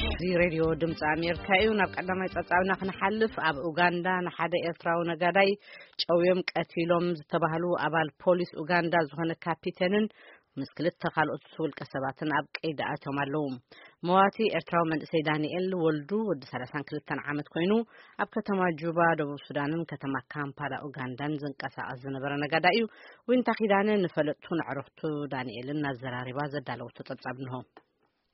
እዚ ሬድዮ ድምፂ ኣሜሪካ እዩ። ናብ ቀዳማይ ጸብጻብና ክንሓልፍ፣ ኣብ ኡጋንዳ ንሓደ ኤርትራዊ ነጋዳይ ጨውዮም ቀቲሎም ዝተባህሉ ኣባል ፖሊስ ኡጋንዳ ዝኾነ ካፒቴንን ምስ ክልተ ካልኦት ውልቀ ሰባትን ኣብ ቀይዲ ኣትዮም ኣለዉ። መዋቲ ኤርትራዊ መንእሰይ ዳንኤል ወልዱ ወዲ ሰላሳን ክልተን ዓመት ኮይኑ፣ ኣብ ከተማ ጁባ ደቡብ ሱዳንን ከተማ ካምፓላ ኡጋንዳን ዝንቀሳቐስ ዝነበረ ነጋዳይ እዩ። ዊንታ ኪዳነ ንፈለጥቱን ኣዕሩኽቱ ዳንኤልን እናዘራሪባ ዘዳለወቶ ጸብጻብ እንሆ።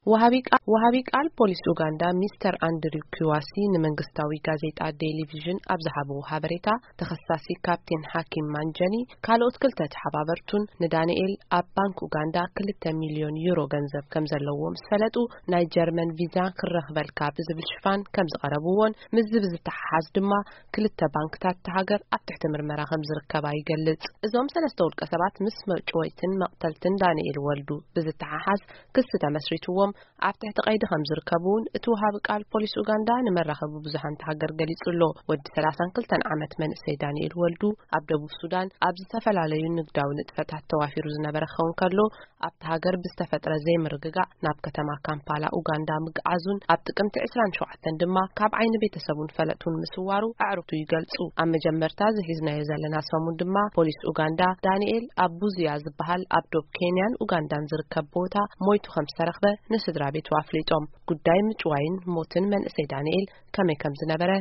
ወሃቢ ቃ-፣ ወሃቢ ቃል ፖሊስ ኡጋንዳ ሚስተር ኣንድሪው ኪዋሲ ንመንግስታዊ ጋዜጣ ዴሊ ቪዥን ኣብ ዝሃብዎ ሓበሬታ፣ ተኸሳሲ ካፕቴን ሓኪም ማንጀኒ ካልኦት ክልተ ተሓባበርቱን ንዳንኤል ኣብ ባንክ ኡጋንዳ ክልተ ሚልዮን ዩሮ ገንዘብ ከም ዘለዎ ምስ ፈለጡ፣ ናይ ጀርመን ቪዛ ክረኽበልካ ብዝብል ሽፋን ከም ዝቐረብዎን ምስዚ ብዝተሓሓዝ ድማ ክልተ ባንክታት እታ ሃገር ኣብ ትሕቲ ምርመራ ከም ዝርከባ ይገልጽ። እዞም ሰለስተ ውልቀ ሰባት ምስ መጭወይትን መቕተልትን ዳንኤል ወልዱ ብዝተሓሓዝ ክሲ ተመስሪትዎም ኣብ ትሕቲ ቀይዲ ከም ዝርከቡ እውን እቲ ወሃቢ ቃል ፖሊስ ኡጋንዳ ንመራኸቢ ብዙሃን እታ ሃገር ገሊጹ ኣሎ። ወዲ ሰላሳን ክልተን ዓመት መንእሰይ ዳንኤል ወልዱ ኣብ ደቡብ ሱዳን ኣብ ዝተፈላለዩ ንግዳዊ ንጥፈታት ተዋፊሩ ዝነበረ ክኸውን ከሎ፣ ኣብቲ ሃገር ብዝተፈጥረ ዘይምርግጋእ ናብ ከተማ ካምፓላ ኡጋንዳ ምግዓዙን ኣብ ጥቅምቲ ዕስራን ሸውዓተን ድማ ካብ ዓይኒ ቤተሰቡን ፈለጡን ምስዋሩ ኣዕሩኽቱ ይገልጹ። ኣብ መጀመርታ ዝሒዝናዮ ዘለና ሰሙን ድማ ፖሊስ ኡጋንዳ ዳንኤል ኣብ ቡዝያ ዝበሃል ኣብ ዶብ ኬንያን ኡጋንዳን ዝርከብ ቦታ ሞይቱ ከም ዝተረኽበ ንስድራ ቤቱ ኣፍሊጦም። ጉዳይ ምጭዋይን ሞትን መንእሰይ ዳንኤል ከመይ ከም ዝነበረ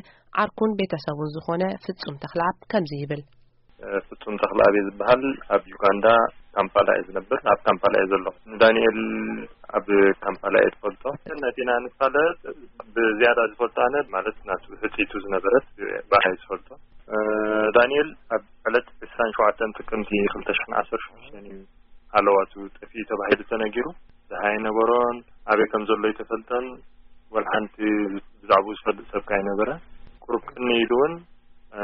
ዓርኩን ቤተሰቡን ዝኾነ ፍጹም ተኽለኣብ ከምዚ ይብል። ፍጹም ተኽለኣብ ዝበሃል ኣብ ዩጋንዳ ካምፓላ እዩ ዝነብር። ኣብ ካምፓላ እዩ ዘሎ። ንዳንኤል ኣብ ካምፓላ እየ ዝፈልጦ። ነቲና ንፋለጥ ብዝያዳ ዝፈልጦ ኣነ ማለት ናቱ ሕጽይቱ ዝነበረት ብኣይ ዝፈልጦ። እ፣ ዳንኤል ኣብ ዕለት ዕስራን ሸውዓተን ጥቅምቲ ክልተ ሽሕን ዓሰርተ ሽዱሽተን እዩ ሃለዋቱ ጠፊኡ ተባሂሉ ተነጊሩ። ዝሃይ ነበሮን ኣበይ ከም ዘሎ ኣይተፈልጠን። ወላ ሓንቲ ብዛዕባኡ ዝፈልጥ ሰብ ከኣ ኣይነበረ። ቁሩብ ቅኒ ኢሉ እውን፣ እ፣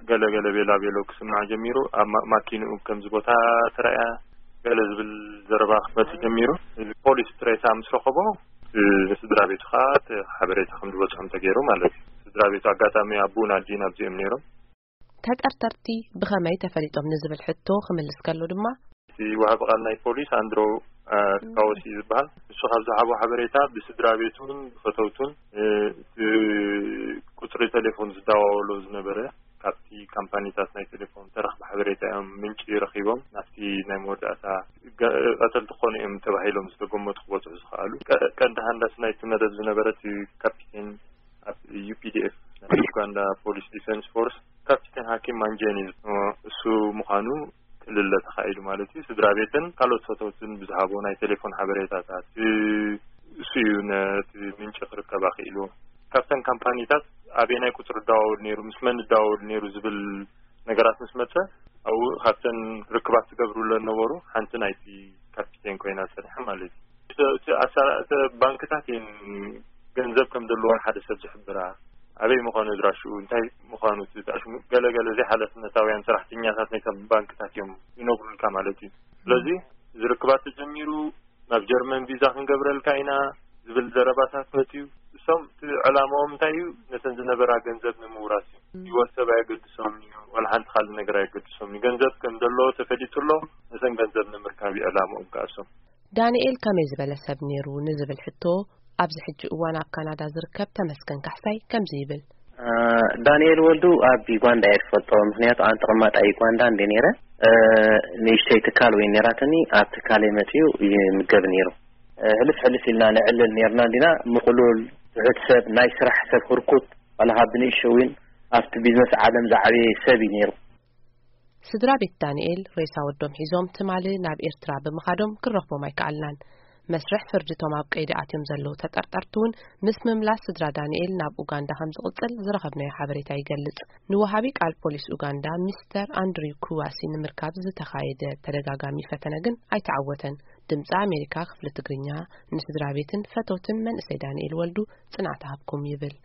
ገለ ገለ ቤላ ቤሎ ክስማዕ ጀሚሩ። ኣብ ማ-፣ ማኪንኡ ከምዚ ቦታ ተራእያ ገለ ዝብል ዘረባ ክመጽእ ጀሚሩ። እዚ ፖሊስ ጥሬታ ምስ ረኸቦ፣ እ፣ ንስድራ ቤቱ ከኣ እቲ ሓበሬታ ከም ዝበጽሖም ተገይሩ ማለት እዩ። ስድራ ቤቱ ኣጋጣሚ ኣቦኡን ኣዲኡን ኣብዚኦም ነይሮም። ተጠርጠርቲ ብኸመይ ተፈሊጦም ንዝብል ሕቶ ክምልስ ከሎ ድማ፣ እቲ ወሃቢ ቃል ናይ ፖሊስ ኣንድሮ፣ እ፣ ካወሲ ዝበሃል፣ ንሱ ካብ ዝሃቦ ሓበሬታ ብስድራ ቤቱን ብፈተውቱን፣ እ፣ እቲ ቁጽሪ ቴሌፎን ዝደዋወሎ ዝነበረ ካብቲ ካምፓኒታት ናይ ቴሌፎን ተረኽበ ሓበሬታ እዮም ምንጪ ረኺቦም ናብቲ ናይ መወዳእታ ገ-፣ ቀተልቲ ክኾኑ እዮም ተባሂሎም ዝተገመቱ ክበጽሑ ዝኸኣሉ። ቀ-፣ ቀንዲ ሃንዳሲ ናይቲ መደብ ዝነበረ እቲ ካፒቴን ኣብ ዩ ፒ ዲ ኤፍ ናይ ዩጋንዳ ፖሊስ ዲፌንስ ፎርስ ካፒቴን ሃኪም ማንጀኒ እሱ ምዃኑ ክልለ ተኻኢሉ ማለት እዩ። ስድራ ቤትን ካልኦት ፈተውትን ብዝሃቦ ናይ ቴሌፎን ሓበሬታታት፣ እ፣ እሱ እዩ ነቲ ምንጪ ክርከብ ኣኽኢሉ። ካብተን ካምፓኒታት ኣበየናይ ቁጽሪ ይደዋወል ነይሩ፣ ምስ መን ይደዋወል ነይሩ ዝብል ነገራት ምስ መጸ፣ ኣብኡ ካብተን ርክባት ዝገብሩለን ነበሩ፣ ሓንቲ ናይቲ ካፒቴን ኮይና ጸኒሓ ማለት እዩ። እቲ፣ እቲ ኣሳ-፣ እቲ ባንክታት እየን ገንዘብ ከም ዘለዎን ሓደ ሰብ ዝሕብራ፣ ኣበይ ምዃኑ ኣድራሽኡ፣ እንታይ ምዃኑ፣ እቲ ኣሽሙ-፣ ገለ ገለ ዘይሓላፍነታውያን ሰራሕተኛታት ናይተን ባንክታት እዮም ይነግሩልካ ማለት እዩ። ስለዚ እዚ ርክባት ተጀሚሩ፣ ናብ ጀርመን ቪዛ ክንገብረልካ ኢና ዝብል ዘረባታት መፅዩ። እሶም እቲ ዕላማኦም እንታይ እዩ? ነተን ዝነበራ ገንዘብ ንምውራስ እዩ። ህይወት ሰብ ኣየገድሶም እዩ፣ ዋላ ሓንቲ ካልእ ነገር ኣየገድሶም እዩ። ገንዘብ ከም ዘለዎ ተፈሊጡ ኣሎ፣ ነተን ገንዘብ ንምርካብ እዩ ዕላማኦም ከኣ እሶም። ዳንኤል ከመይ ዝበለ ሰብ ነይሩ ንዝብል ሕቶ፣ ኣብዚ ሕጂ እዋን ኣብ ካናዳ ዝርከብ ተመስገን ካሕሳይ ከምዚ ይብል። እ፣ ዳንኤል ወልዱ ኣብ ዩጋንዳ እየ ዝፈልጦ፣ ምኽንያቱ ኣነ ተቐማጣይ ዩጋንዳ እንደ ነይረ፣ እ፣ ንእሽተይ ትካል ወይ ነይራትኒ፣ ኣብ ትካለይ መፅዩ ይምገብ ነይሩ። እ፣ ሕልፍ ሕልፍ ኢልና ነዕልል ነይርና እንዲና፣ ምቕሉል፣ ትሑት ሰብ፣ ናይ ስራሕ ሰብ፣ ህርኩት፣ ዋላ ካብ ብንእሽተይ እውን ኣብቲ ቢዝነስ ዓለም ዝዓበየ ሰብ እዩ ነይሩ። ስድራ ቤት ዳንኤል ሬሳ ወዶም ሒዞም ትማሊ ናብ ኤርትራ ብምኻዶም ክንረኽቦም ኣይከኣልናን። መስርሕ ፍርዲ እቶም ኣብ ቀይዲ ኣትዮም ዘለዉ ተጠርጠርቲ እውን ምስ ምምላስ ስድራ ዳንኤል ናብ ኡጋንዳ ከም ዝቕጽል ዝረኸብናዮ ሓበሬታ ይገልጽ። ንወሃቢ ቃል ፖሊስ ኡጋንዳ ሚስተር ኣንድሪው ኩዋሲ ንምርካብ ዝተኻየደ ተደጋጋሚ ፈተነ ግን ኣይተዓወተን። ድምፂ ኣሜሪካ ክፍሊ ትግርኛ ንስድራ ቤትን ፈተውትን መንእሰይ ዳንኤል ወልዱ ጽንዓት ሃብኩም ይብል።